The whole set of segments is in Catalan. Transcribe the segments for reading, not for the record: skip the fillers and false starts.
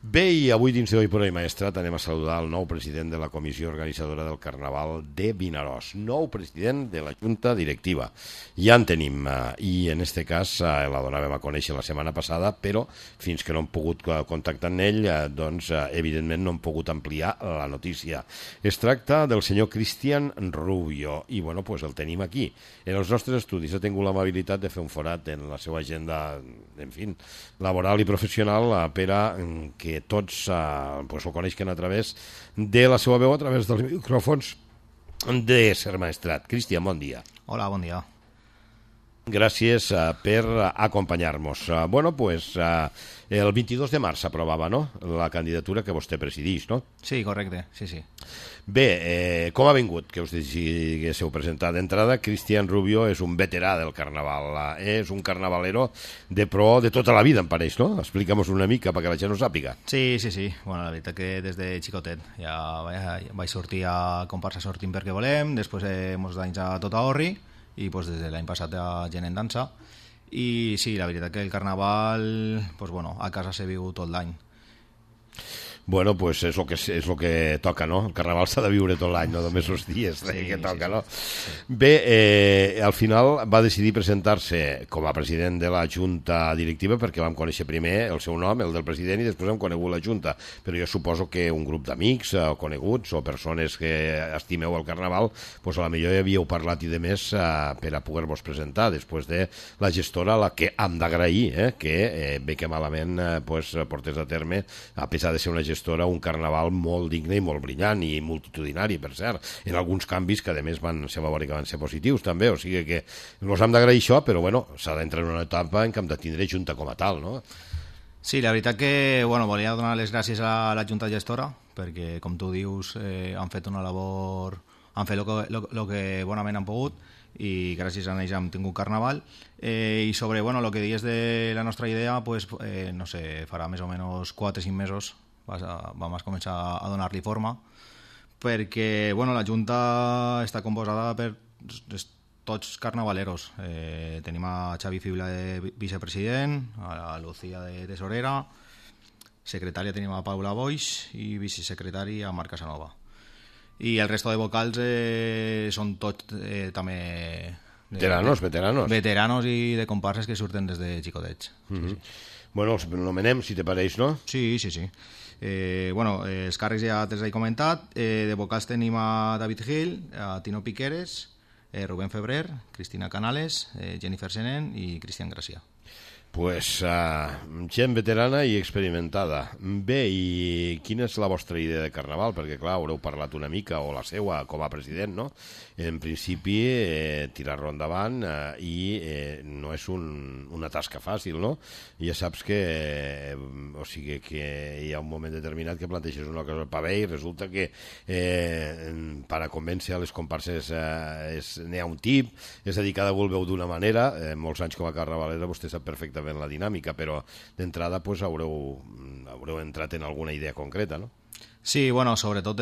Bé, i avui dins d'Hoy por Hoy Maestrat anem a saludar el nou president de la comissió organitzadora del Carnaval de Vinaròs, nou president de la Junta Directiva. Ja en tenim, i en este cas la donàvem a conèixer la setmana passada, però fins que no hem pogut contactar amb ell, doncs evidentment no hem pogut ampliar la notícia. Es tracta del senyor Cristian Rubio, i bueno, pues el tenim aquí. En els nostres estudis ha tingut l'amabilitat de fer un forat en la seva agenda, en fi, laboral i professional per a que tots pues, ho coneixen a través de la seva veu, a través dels micròfons de Ser Maestrat. Cristian, bon dia. Hola, bon dia. Gràcies per acompanyar-nos. Bueno, pues el 22 de març s'aprovava, no?, la candidatura que vostè presideix, no? Sí, correcte, sí, sí. Bé, com ha vingut que us diguéssiu presentar? D'entrada, Cristian Rubio és un veterà del carnaval, és un carnavalero de pro de tota la vida, em pareix, no? Explica'm-nos una mica perquè la gent ho sàpiga. Sí, sí, sí. Bueno, la veritat que des de xicotet ja vaig sortir a comparsa Sortim perquè volem, després molts anys a Tota Orri, i pues, des de l'any passat a Gent en Dansa. I sí, la veritat que el carnaval, pues, bueno, a casa s'ha viu tot l'any. Bueno, pues és lo que toca, no? El carnaval s'ha de viure tot l'any, no només els dies que toca, no? Sí. Bé, al final va decidir presentar-se com a president de la Junta Directiva perquè vam conèixer primer el seu nom, el del president, i després hem conegut la Junta. Però jo suposo que un grup d'amics o coneguts o persones que estimeu el carnaval, pues a la millor ja havíeu parlat i de més per a poder-vos presentar després de la gestora, a la que hem d'agrair que bé que malament pues, portés a terme, a pesar de ser una gestora, un carnaval molt digne i molt brillant i multitudinari, per cert, en alguns canvis que a més se va veure que van ser positius també, o sigui que ens hem d'agrair això, però bueno, s'ha d'entrar en una etapa en què hem de tindre Junta com a tal, no? Sí, la veritat que bueno, volia donar les gràcies a la Junta Gestora perquè, com tu dius, han fet una labor, han fet el que bonament han pogut, i gràcies a ells hem tingut carnaval, i sobre bueno, el que dius de la nostra idea, pues, no sé, farà més o menys 4 o 5 mesos vam començar a donar-li forma, perquè bueno, la Junta està composada per tots carnavaleros. Tenim a Xavi Fibla de vicepresident, a Lucía de tesorera, secretària tenim a Paula Boix i vicesecretari a Marc Casanova. I el resto de vocals són tots també veteranos i de comparses que surten des de xicotets. Sí. Bueno, els nomenem, si te pareix, no? Sí. Bueno, els càrrecs ja te'ls he comentat. De vocals tenim a David Gil, a Tino Piqueres, Rubén Febrer, Cristina Canales, Jennifer Senén i Cristian Gracia. Pues gent veterana i experimentada. Bé, i quina és la vostra idea de carnaval? Perquè, clar, haureu parlat una mica, o la seua, com a president, no? En principi, tirar-lo endavant i no és una tasca fàcil, no? Ja saps que o sigui que hi ha un moment determinat que planteges una cosa per bé i resulta que per a convèncer a les comparses n'hi ha un tip, és a dir, cada un el veu d'una manera. Molts anys com a carnavalera vostè sap perfectament la dinàmica, però d'entrada pues, haureu entrat en alguna idea concreta, no? Sí, bueno, sobretot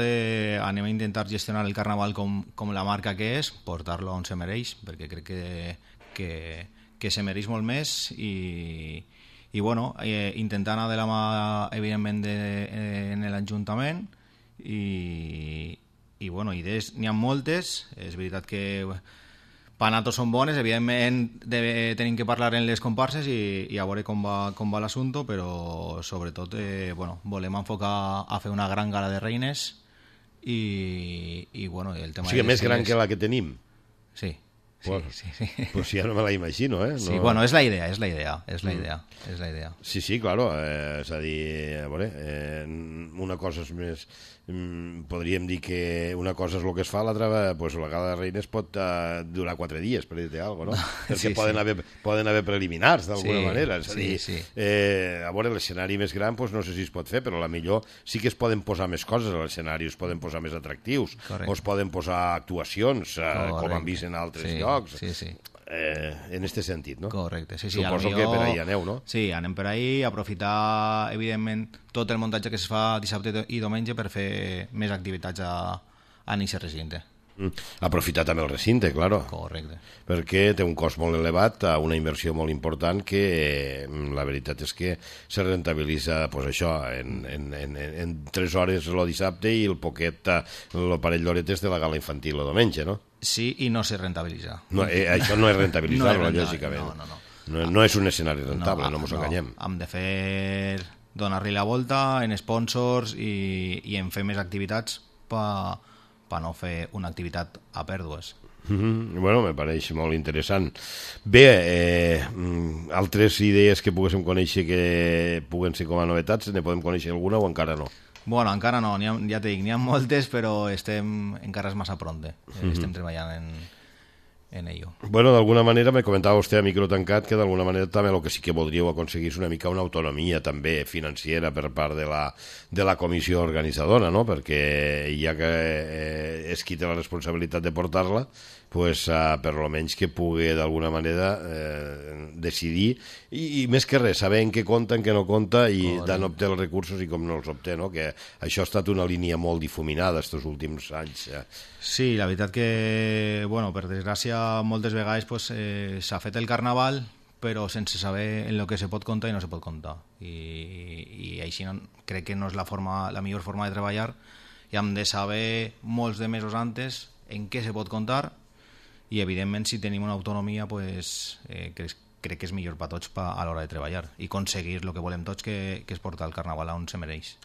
anem a intentar gestionar el carnaval com la marca que és, portar-lo on se mereix, perquè crec que se mereix molt més i bueno, intentar anar de la mà, evidentment, en l'Ajuntament i bueno, idees n'hi ha moltes. És veritat que Panatos són bones, evidentment tenim que parlar en les comparses i a veure com va l'assumpte, però sobretot bueno, volem enfocar a fer una gran gala de reines i bueno, el tema... O sigui, més gran que la que tenim? Sí. Bueno, sí. Pues ja no me la imagino, ¿eh? No... Sí, bueno, és la idea. Sí, claro, és a dir, a veure, una cosa és més... podríem dir que una cosa és el que es fa, l'altra, pues, la gala de reines pot durar 4 dies, per dir-te alguna cosa, no? Perquè poden haver preliminars, d'alguna manera. És a dir, a veure, l'escenari més gran, pues, no sé si es pot fer, però a la millor sí que es poden posar més coses a l'escenari, es poden posar més atractius, o es poden posar actuacions, com han vist en altres llocs. Sí. En este sentit, no? Correcte, sí. Suposo que per ahí aneu, no? Sí, anem per ahí, aprofitar, evidentment, tot el muntatge que es fa dissabte i diumenge per fer més activitats a aquest recinte. Aprofitar també el recinte, claro. Correcte. Perquè té un cost molt elevat, una inversió molt important que la veritat és que se rentabilitza pues, això en 3 hores el dissabte i el poquet, el parell d'horetes de la gala infantil el diumenge, no? Sí, i no se rentabilitza. No, això no és rentabilitzar-lo, lògicament. No és un escenari rentable, no ens enganyem. Hem de fer donar-li la volta en sponsors i en fer més activitats per no fer una activitat a pèrdues. Bueno, me pareix molt interessant. Bé, altres idees que poguéssim conèixer que puguen ser com a novetats, ne podem conèixer alguna o encara no? Bueno, encara no, ja t'he dit, n'hi ha moltes, però encara és massa pronte. Estem treballant en ello. Bueno, d'alguna manera me comentava vostè a micro tancat que d'alguna manera també el que sí que voldríeu aconseguir és una mica una autonomia també financera per part de la comissió organitzadora, no? Perquè ja que és qui té la responsabilitat de portar-la, pues, per lo menys que pugui d'alguna manera decidir i més que res, saber en què compta, en què no compta i d'on obté els recursos i com no els obté, no? Que això ha estat una línia molt difuminada estos últims anys. Sí, la veritat que, bueno, per desgràcia, moltes vegades pues, s'ha fet el carnaval però sense saber en el que se pot comptar i no se pot comptar. I així crec que no és la millor forma de treballar i hem de saber molts de mesos antes en què se pot comptar i evidentment si tenim una autonomia pues, crec que és millor per tots a l'hora de treballar i aconseguir el que volem tots que és portar el carnaval on se mereix.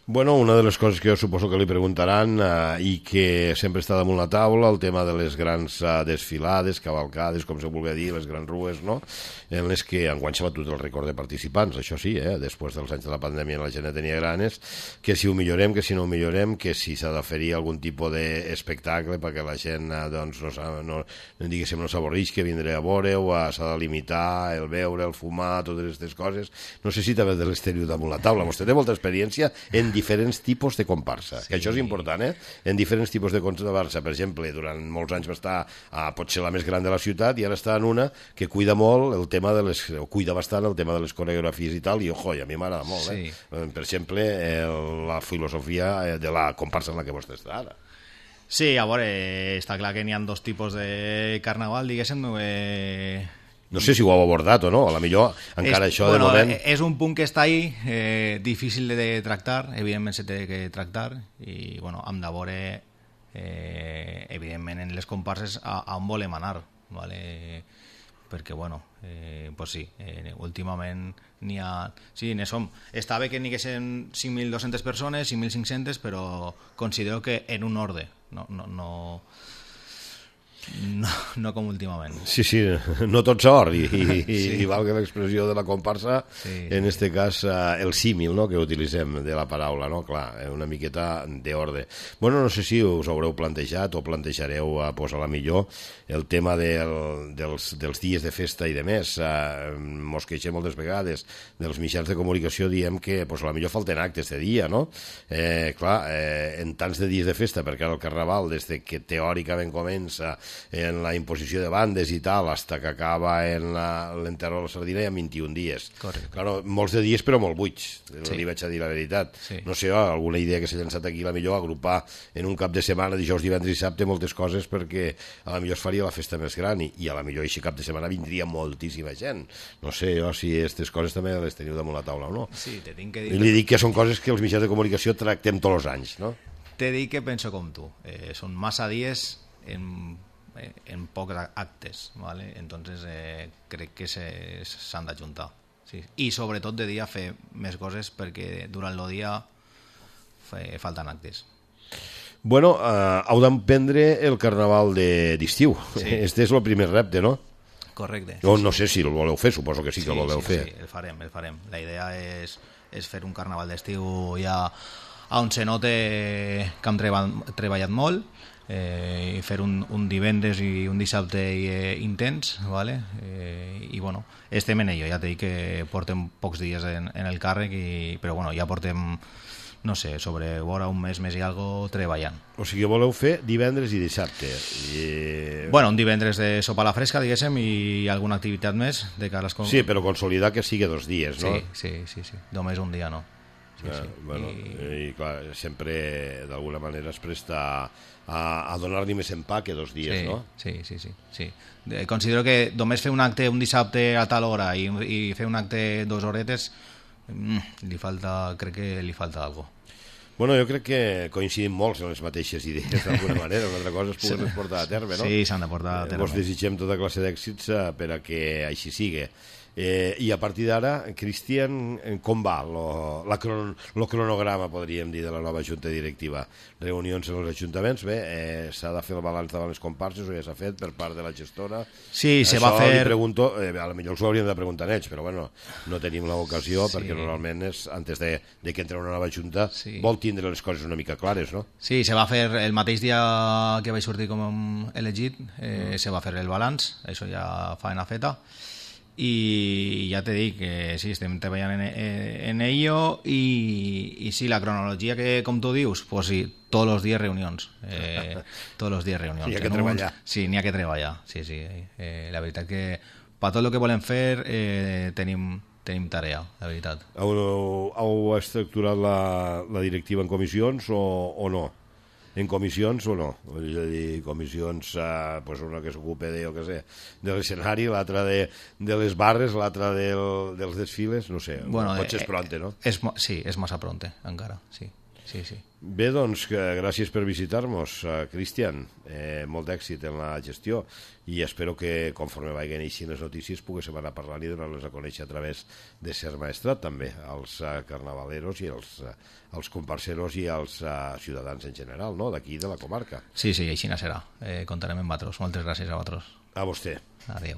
Bueno, una de les coses que jo suposo que li preguntaran i que sempre està damunt la taula, el tema de les grans desfilades, cavalcades, com se vulgui dir, les grans rues, no? En les que enguany s'ha batut el rècord de participants, això sí, després dels anys de la pandèmia la gent tenia ganes, que si ho millorem, que si no ho millorem, que si s'ha d'oferir algun tipus d'espectacle perquè la gent doncs, no s'avorreix que vindré a veure o s'ha de limitar el beure, el fumar, totes aquestes coses. No sé si també de l'exterior damunt la taula. Vostè té molta experiència en diferents tipus de comparsa, sí. Que això és important, en diferents tipus de comparsa. Per exemple, durant molts anys va estar potser la més gran de la ciutat i ara està en una que cuida molt el tema cuida bastant el tema de les coreografies i tal, i ojo, i a mi m'agrada molt, sí. Per exemple, la filosofia de la comparsa en la que vostè està ara. Sí, a veure, està clar que n'hi ha 2 tipus de carnaval, diguéssim, no sé si ho heu abordat o no, a la millor encara això de moment... És un punt que està ahí, difícil de tractar, evidentment se té que tractar, i bueno, hem de veure, evidentment, en les comparses a on volem anar, ¿vale? Perquè, bueno, pues sí, últimament n'hi ha... Sí, està bé que n'hi haguessin 5.200 persones, 5.500, però considero que en un ordre, no com últimament. Sí, no tot s'or i valga l'expressió de la comparsa, sí. En este cas el símil, no?, que utilitzem de la paraula, no? Clar, una miqueta d'ordre. Bueno, no sé si us haureu plantejat o plantejareu pues, a la millor el tema dels dies de festa i de més. Mos queixem moltes vegades dels mitjans de comunicació, diem que pues, a la millor falten actes de dia, no? Clar, en tants de dies de festa, perquè ara el carnaval, des que teòricament comença en la imposició de bandes i tal, hasta que acaba en l'enterro de la sardina hi ha 21 dies. Correcte. Claro, molts de dies però molt buits, sí. Li vaig a dir la veritat. Sí. No sé, alguna idea que s'ha llançat aquí, la millor agrupar en un cap de setmana, dijous, divendres i dissabte, moltes coses perquè a la millor es faria la festa més gran i a la millor així cap de setmana vindria moltíssima gent. No sé jo si aquestes coses també les teniu damunt la taula o no. Sí, te tinc que dir... I li dic que són coses que els mitjans de comunicació tractem tots els anys, no? Te dic que penso com tu. Són massa dies en pocs actes, ¿vale? Entonces crec que s'han d'ajuntar, sí. I sobretot de dia fer més coses perquè durant el dia falten actes. Bueno, heu d'emprendre el carnaval d'estiu. Sí. Este és el primer repte, no? Correcte. No sé si el voleu fer, suposo que sí que el voleu fer. Sí, el farem. La idea és fer un carnaval d'estiu ja on se note que hem treballat molt, i fer un divendres i un dissabte intens, ¿vale? I bueno, estem en ello, ja t'he dit que portem pocs dies en el càrrec, però bueno, ja portem, no sé, sobre vora un mes i algo treballant. O sigui, voleu fer divendres i dissabte. Bueno, un divendres de sopa a la fresca, diguéssim, i alguna activitat més de cara a les... Sí, però consolidar que sigui 2 dies, no? Sí. Només un dia no. Bueno, i clar, sempre d'alguna manera es presta a donar-li més en pa que 2 dies, no? Sí. Considero que només fer un acte un dissabte a tal hora i fer un acte 2 horetes crec que li falta alguna cosa. Bueno, jo crec que coincidim molts en les mateixes idees, d'alguna manera. Una altra cosa es puguen portar a terme, no? Sí, s'han de portar a terme. Vos desitgem tota classe d'èxits per a que així sigui. I a partir d'ara, Cristian, com va el cronograma, podríem dir, de la nova junta directiva? Reunions en els ajuntaments, bé, s'ha de fer el balanç davant les comparses, o ja s'ha fet per part de la gestora? Sí, se va fer... Això li pregunto, a lo millor us ho hauríem de preguntar a ells, però bueno, no tenim l'ocasió, perquè normalment és, antes de que entre una nova junta, vol tindre les coses una mica clares, no? Sí, se va fer el mateix dia que vaig sortir com elegit, se va fer el balanç, això ja faena feta, i ja te dic que sí, estem treballant en ello i sí, la cronologia que com tu dius, pues sí, tots els dies reunions tots els dies reunions. N'hi ha que treballar. Sí, n'hi ha que treballar, sí. La veritat que per tot el que volem fer tenim tarea, la veritat. Heu estructurat la directiva en comissions o no? En comissions o no? És a dir, comissions, pues una que s'ocupa de, de l'escenari, l'altra de les barres, l'altra dels desfiles, no sé, potser és pronte, no? Sí, és massa pronte, encara, sí. Bé, doncs, gràcies per visitar-nos, Cristian. Molt d'èxit en la gestió i espero que, conforme vagin eixint les notícies, poguéssim anar parlant i donar-les a conèixer a través de Ser Maestrat, també, als carnavaleros i als comparseros i als ciutadans en general, no?, d'aquí, de la comarca. Sí, així serà. Contarem amb vosaltres. Moltes gràcies a vosaltres. A vostè. Adéu.